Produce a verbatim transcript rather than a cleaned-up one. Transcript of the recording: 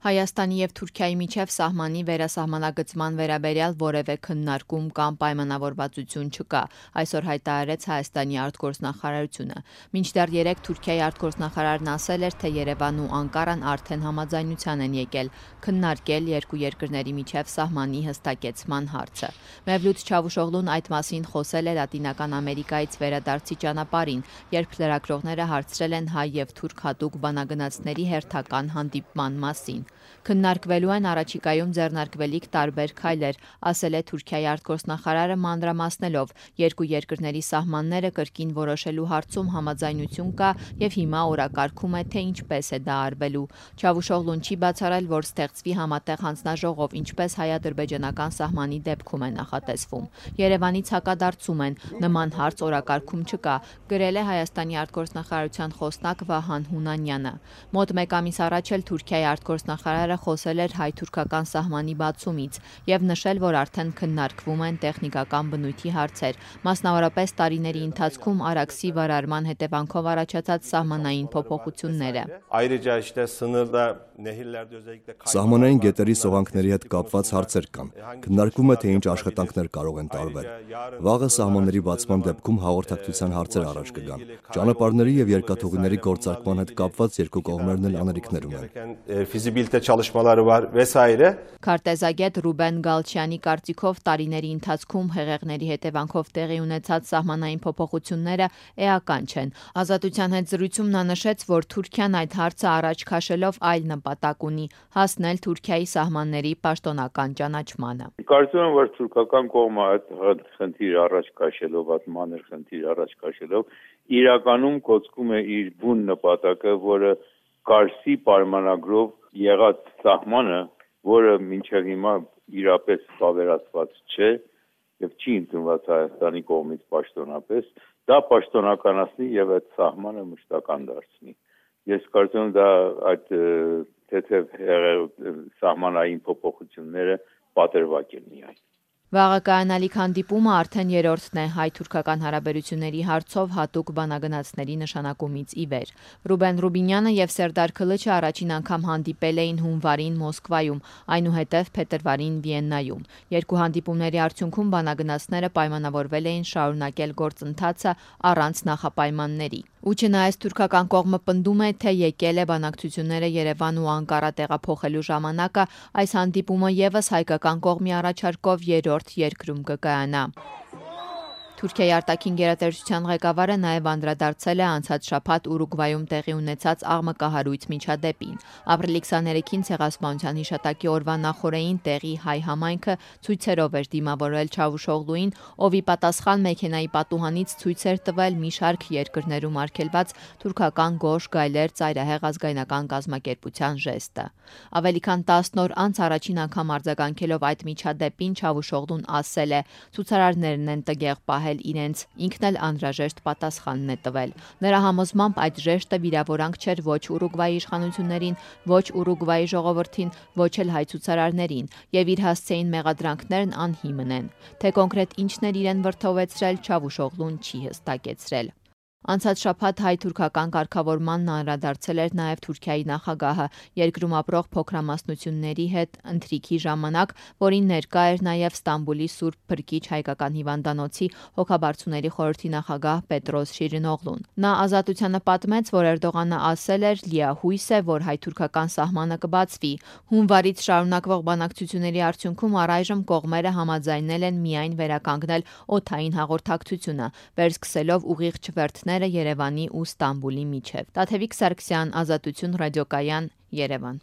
Հայաստանի և Թուրքիայի միջև սահմանի վերասահմանագծման վերաբերյալ որևէ քննարկում կամ պայմանավորվածություն չկա, այսօր հայտարարեց Հայաստանի արտգործնախարարությունը։ Մինչդեռ երեկ Թուրքիայի արտգործնախարարն ասել էր, թե Երևանն ու Անկարան արդեն համաձայնության են եկել քննարկել երկու երկրների միջև սահմանի հստակեցման հարցը։ Մևլութ Չավուշօղլուն այդ մասին խոսել է Լատինական Ամերիկայից վերադարձի ճանապարհին, երբ լրագրողները հարցրել են հայ և թուրք հատուկ բանագնացների հերթական հանդիպման մասին։ Քննարկվելու են առաջիկայում ձեռնարկվելիք տարբեր քայլեր, ասել է Թուրքիայի արտգործնախարարը մանրամասնելով, երկու երկրների սահմանները կրկին որոշելու հարցում համաձայնություն կա և հիմա օրակարգում է, թե ինչպես է դա արվելու։ Չավուշօղլուն չի բացառել, որ ստեղծվի համատեղ հանձնաժողով, ինչպես հայ-ադրբեջանական սահմանի դեպքում է նախատեսվում։ Երևանից հակադարձում են, նման հարց օրակարգում չկա, գրել է Հայաստանի արտգործնախարարության խոսնակ Վահան Հունանյանը։ Մոտ մեկ ամիս առաջ էլ Թուրքիայի արտգործնախարարը խոսել էր հայ-թուրքական սահմանի բացումից և նշել, որ արդեն քննարկվում են տեխնիկական բնույթի հարցեր, մասնավորապես տարիների ընթացքում Արաքսի վարարման հետևանքով առաջացած սահմանային փոփոխությունները։ Սահմանային գետերի սողանքների հետ կապված հարցեր կան։ Քննարկվում է, թե ինչ աշխատանքներ կարող են տարվել։ Վաղը սահմանների բացման դեպքում հաղորդակցության հարցեր առաջ կգան։ Ճանապարհների և երկաթուղիների գործարկման հետ կապված երկու կողմերն էլ անելիքներ ունեն։ Քարտեզագետ Ռուբեն Գալչյանի կարծիքով տարիների ընթացքում հեղեղների հետևանքով տեղի ունեցած սահմանային փոփոխությունները էական չեն։ Ազատության հետ զրույցում նա նշեց, որ Թուրքիան այդ հարցը առաջ քաշելով այլ նպատակ ունի՝ հասնել Թուրքիայի սահմանների պաշտոնական ճանաչմանը։ Կարծում եմ, որ թուրքական կողմը այդ խնդիրը առաջ քաշելով, այդ մանր խնդիրը առաջ քաշելով, իրականում կոծկում է իր բուն նպատակը, որը Կարսի պայմանագրով եղած սահմանը, որը մինչև հիմա իրապես վավերացված չէ և չի ընդունված Հայաստանի կողմից պաշտոնապես, դա պաշտոնականացնի և այդ սահմանը մշտական դարձնի։ Ես կարծում եմ դա այդ թեթև սահմանային փոփոխությունները պատրվակ են միայն։ Վաղը կայանալիք հանդիպումը արդեն երրորդն է հայ-թուրքական հարաբերությունների հարցով հատուկ բանագնացների նշանակումից ի վեր։ Ռուբեն Ռուբինյանը և Սերդար Քլիչը առաջին անգամ հանդիպել էին հունվարին Մոսկվայում, այնուհետև փետրվարին Վիեննայում։ Երկու հանդիպումների արդյունքում բանագնացները պայմանավորվել էին շարունակել գործընթացը առանց նախապայմանների։ Ու չնայած թուրքական կողմը պնդում է, թե եկել է բանակցությունները Երևան ու Անկարա տեղափոխելու ժամանակը, այս հանդիպումը ևս հայկական կողմի առաջարկով երրորդ երկրում կկայանա։ Թուրքիայի արտաքին գերատեսչության ղեկավարը նաև անդրադարձել է անցած շաբաթ Ուրուգվայում տեղի ունեցած աղմկահարույց միջադեպին։ Ապրիլի քսաներեքին Ցեղասպանության հիշատակի օրվա նախօրեին տեղի հայ համայնքը ցույցերով էր դիմավորել Չավուշօղլուին, ով ի պատասխան մեքենայի պատուհանից ցույց էր տվել մի շարք երկրներում արգելված թուրքական գորշ գայլեր ծայրահեղ ազգայնական կազմակերպության ժեստը։ Ավելի քան տասն օր անց առաջին անգամ արձագանքելով այդ միջադեպին Չավուշօղլուն ասել է. ցուցարարներն են տգեղ պահել իրենց, ինքն էլ անհրաժեշտ պատասխանն է տվել։ Նրա համոզմամբ այդ ժեշտը վիրավորանք չէր ոչ Ուրուգվայի իշխանություններին, ոչ Ուրուգվայի ժողովրդին, ոչ էլ հայ ցուցարարներին, և իր հասցեին մեղադրանքներն անհիմն են։ Թե կոնկրետ ինչն էր իրեն վրդովեցրել, Չավուշօղլուն չի հստակեցրել։ Անցած շաբաթ հայ-թուրքական կարգավորմանն անդրադարձել էր նաև Թուրքիայի նախագահը երկրում ապրող փոքրամասնությունների հետ ընթրիքի ժամանակ, որին ներկա էր նաև Ստամբուլի Սուրբ Փրկիչ հայկական հիվանդանոցի հոգաբարձուների խորհրդի նախագահ Պետրոս Շիրինօղլուն։ Նա Ազատությանը պատմեց, որ Էրդողանը ասել էր՝ լիահույս է, որ հայ-թուրքական սահմանը կբացվի։ Հունվարից շարունակվող բանակցությունների արդյունքում առայժմ կողմերը համաձայնել են միայն վերականգնել օդային հաղորդակցությունը, վերսկսելով ուղիղ չվերթներ Երևանի ու Ստամբուլի միջև։ Տաթևիկ Սարգսյան, Ազատություն ռադիոկայան, Երևան։